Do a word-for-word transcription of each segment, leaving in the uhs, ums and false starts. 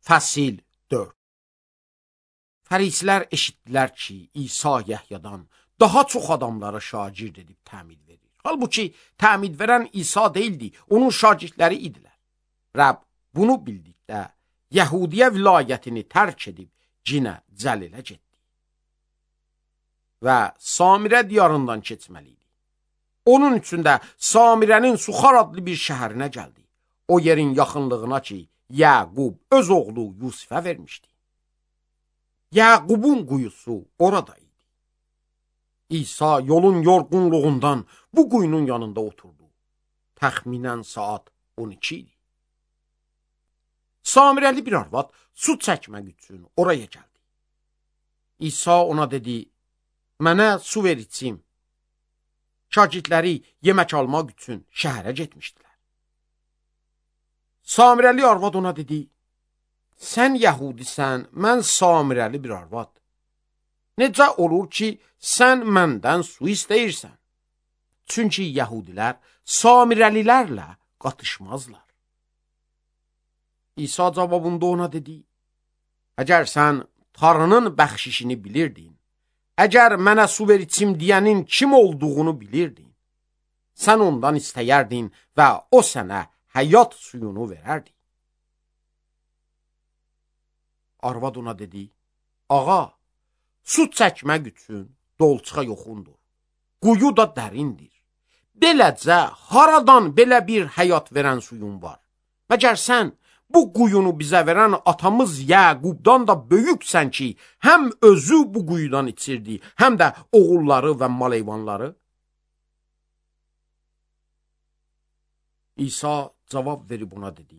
Fəsil dörd. Fərisilər eşitdilər ki, İsa Yəhyadan daha çox adamlara şagird edib təmid verir. Halbuki təmid verən İsa deyildi, onun şagirdləri idilər. Rəbb bunu bildikdə Yəhudiyə vilayətini tərk edib cinə Cəlilə getdi və Samirə diyarından keçməli idi. Onun üçün də Samirənin Suxar adlı bir şəhərinə gəldi. O yerin yaxınlığına ki, Yaqub öz oğlu Yusifə vermişdi. Yaqubun quyusu orada idi. İsa yolun yorğunluğundan bu quyunun yanında oturdu. Təxminən saat on iki idi. Samirəli bir arvad su çəkmək üçün oraya gəldi. İsa ona dedi, mənə su ver içim. Şagirdləri yemək almaq üçün şəhərə getmişdilər. Samirəli arvad ona dedi, sən Yəhudisən, mən Samirəli bir arvad. Necə olur ki, sən məndən su istəyirsən? Çünki Yəhudilər Samirəlilərlə qatışmazlar. İsa cavabında ona dedi, əgər sən Tanrının bəxşişini bilirdin, əgər mənə su ver içim deyənin kim olduğunu bilirdin, sən ondan istəyərdin və o sənə həyat suyunu verərdi. Arvad ona dedi, ağa, su çəkmək üçün dolçuğa yoxundur, quyu da dərindir. Beləcə, haradan belə bir həyat verən suyun var? Məgər sən bu quyunu bizə verən atamız Yaqubdan da böyüksən ki, həm özü bu quyudan içirdi, həm də oğulları və maleyvanları? İsa cavab verib ona dedi,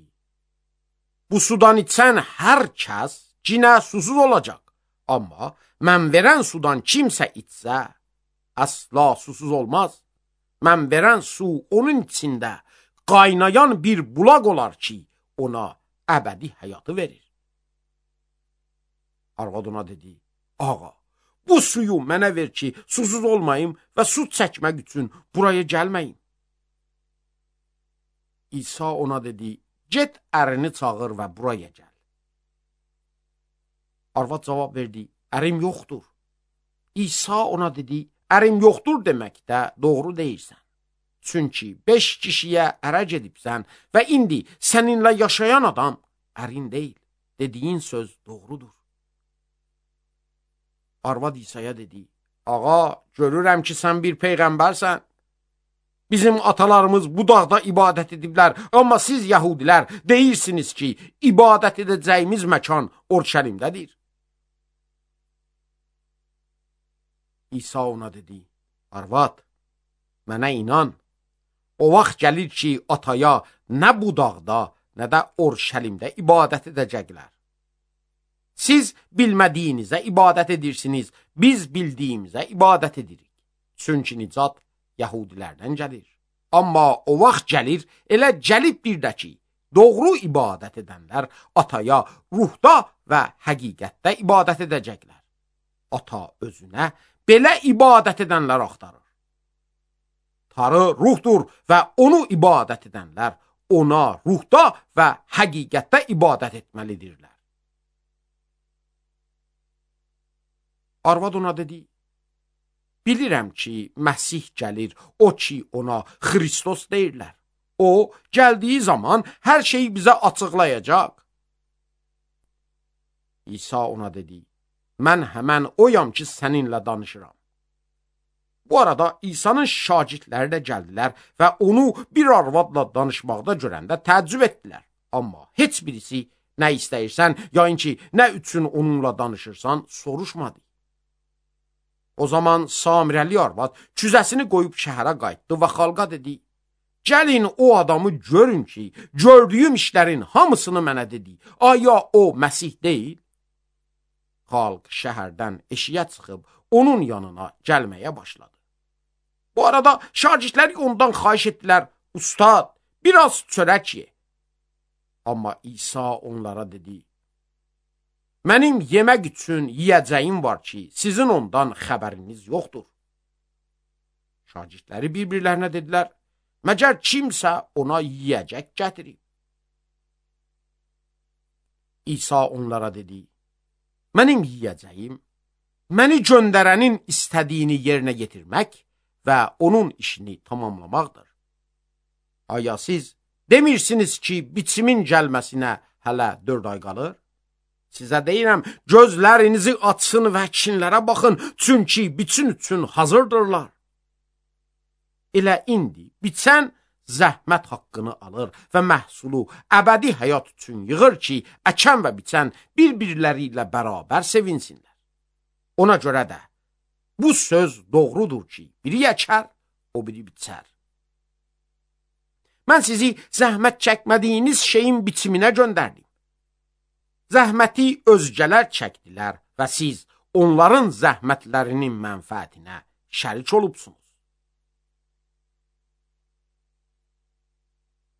bu sudan içən hər kəs cinə susuz olacaq, amma mən verən sudan kimsə içsə, əsla susuz olmaz. Mən verən su onun içində qaynayan bir bulaq olar ki, ona əbədi həyatı verir. Arvad ona dedi, ağa, bu suyu mənə ver ki, susuz olmayım və su çəkmək üçün buraya gəlməyim. İsa ona dedi, get ərini çağır və buraya gəl. Arvad cavab verdi, ərim yoxdur. İsa ona dedi, ərim yoxdur deməkdə doğru deyirsən. Çünki beş kişiyə ərə gedibsən və indi səninlə yaşayan adam ərin deyil. Dediyin söz doğrudur. Arvad İsa'ya dedi, ağa, görürəm ki, sən bir peyğəmbərsən. Bizim atalarımız bu dağda ibadət ediblər, amma siz Yəhudilər deyirsiniz ki, ibadət edəcəyimiz məkan Urşəlimdədir. İsa ona dedi, arvad, mənə inan, o vaxt gəlir ki, ataya nə bu dağda, nə də Urşəlimdə ibadət edəcəklər. Siz bilmədiyinizə ibadət edirsiniz, biz bildiyimizə ibadət edirik. Çünki nicat Yəhudilərdən gəlir. Amma o vaxt gəlir, elə gəlib bir də ki, doğru ibadət edənlər ataya ruhda və həqiqətdə ibadət edəcəklər. Ata özünə belə ibadət edənlər axtarır. Tanrı ruhdur və onu ibadət edənlər ona ruhda və həqiqətdə ibadət etməlidirlər. Arvad ona dedi, bilirəm ki, Məsih gəlir, o ki ona Xristos deyirlər. O, gəldiyi zaman hər şeyi bizə açıqlayacaq. İsa ona dedi, mən həmən oyam ki, səninlə danışıram. Bu arada İsa'nın şagirdləri də gəldilər və onu bir arvadla danışmaqda görəndə təəccüb etdilər. Amma heç birisi nə istəyirsən, yayın ki, nə üçün onunla danışırsan, soruşmadı. O zaman Samirəli arvad küzəsini qoyub şəhərə qayıtdı və xalqa dedi, gəlin o adamı görün ki, gördüyüm işlərin hamısını mənə dedi. Aya o Məsih deyil? Xalq şəhərdən eşiyə çıxıb onun yanına gəlməyə başladı. Bu arada şagirdləri ondan xahiş etdilər, ustad, biraz çörək ye. Amma İsa onlara dedi, mənim yemək üçün yiyəcəyim var ki, sizin ondan xəbəriniz yoxdur. Şagirdləri bir-birlərinə dedilər, məgər kimsə ona yiyəcək gətirib. İsa onlara dedi, mənim yiyəcəyim, məni göndərənin istədiyini yerinə yetirmək və onun işini tamamlamaqdır. Aya siz demirsiniz ki, biçimin gəlməsinə hələ dörd ay qalır? Sizə deyirəm, gözlərinizi açsın və əkinlərə baxın, çünki biçin üçün hazırdırlar. Elə indi biçən zəhmət haqqını alır və məhsulu əbədi həyat üçün yığır ki, əkən və biçən bir-birləri ilə bərabər sevinsinlər. Ona görə də bu söz doğrudur ki, biri əkər, o biri biçər. Mən sizi zəhmət çəkmədiyiniz şeyin biçiminə göndərdim. Zəhməti özgələr çəkdilər və siz onların zəhmətlərinin mənfəətinə şərik olubsunuz.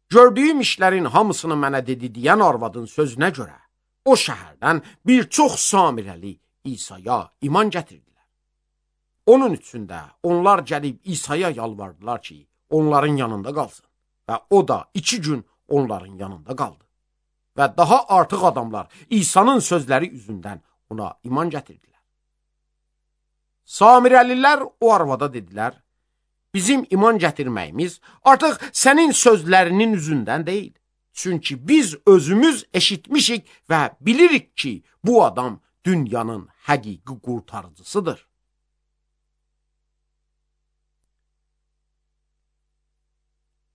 Gördüyüm işlərin hamısını mənə dedi deyən arvadın sözünə görə o şəhərdən bir çox Samirəli İsa'ya iman gətirdilər. Onun üçün də onlar gəlib İsa'ya yalvardılar ki, onların yanında qalsın və o da iki gün onların yanında qaldı. Və daha artıq adamlar İsa'nın sözləri üzündən ona iman gətirdilər. Samirəlilər o arvada dedilər, bizim iman gətirməyimiz artıq sənin sözlərinin üzündən deyil. Çünki biz özümüz eşitmişik və bilirik ki, bu adam dünyanın həqiqi qurtarıcısıdır.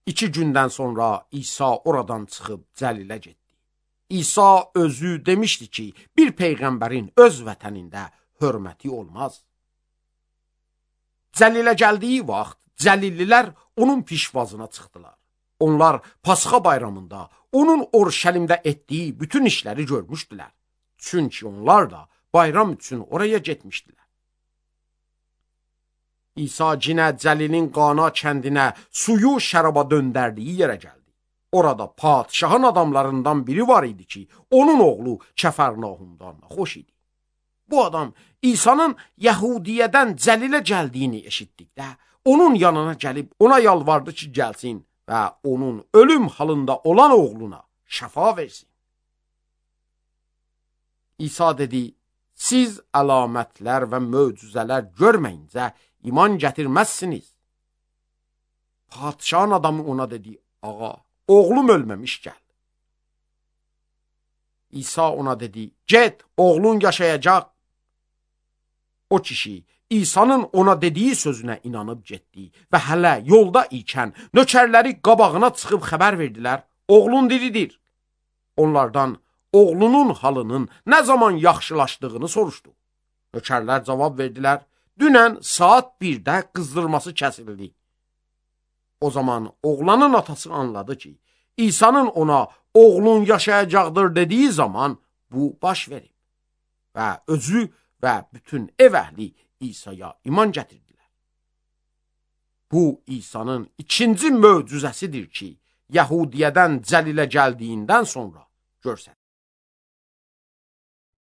İki gündən sonra İsa oradan çıxıb Cəlilə getdi. İsa özü demişdi ki, bir peyğəmbərin öz vətənində hörməti olmaz. Cəlilə gəldiyi vaxt Cəlillilər onun pişvazına çıxdılar. Onlar Pasxa bayramında onun Orşəlimdə etdiyi bütün işləri görmüşdülər. Çünki onlar da bayram üçün oraya getmişdilər. İsa cinə Cəlilin Qana kəndinə suyu şəraba döndərdiyi yerə gəldi. Orada padişahın adamlarından biri var idi ki, onun oğlu Kəfərnahumdan xoş idi. Bu adam İsa'nın Yəhudiyədən Cəlilə gəldiyini eşitdikdə, onun yanına gəlib ona yalvardı ki, gəlsin və onun ölüm halında olan oğluna şəfa versin. İsa dedi, siz əlamətlər və möcüzələr görməyincə iman gətirməzsiniz. Padişahın adamı ona dedi, ağa, oğlum ölməmiş gəl. İsa ona dedi, get, oğlun yaşayacaq. O kişi İsa'nın ona dediyi sözünə inanıb getdi və hələ yolda ikən nökərləri qabağına çıxıb xəbər verdilər, oğlun diridir. Onlardan oğlunun halının nə zaman yaxşılaşdığını soruşdu. Nökərlər cavab verdilər, dünən saat birdə qızdırması kəsildi. O zaman oğlanın atası anladı ki, İsa'nın ona oğlun yaşayacaqdır dediyi zaman bu baş verib və özü və bütün ev əhli İsa'ya iman gətirdilər. Bu İsa'nın ikinci möcüzəsidir ki, Yəhudiyədən Cəlilə gəldiyindən sonra görsənir.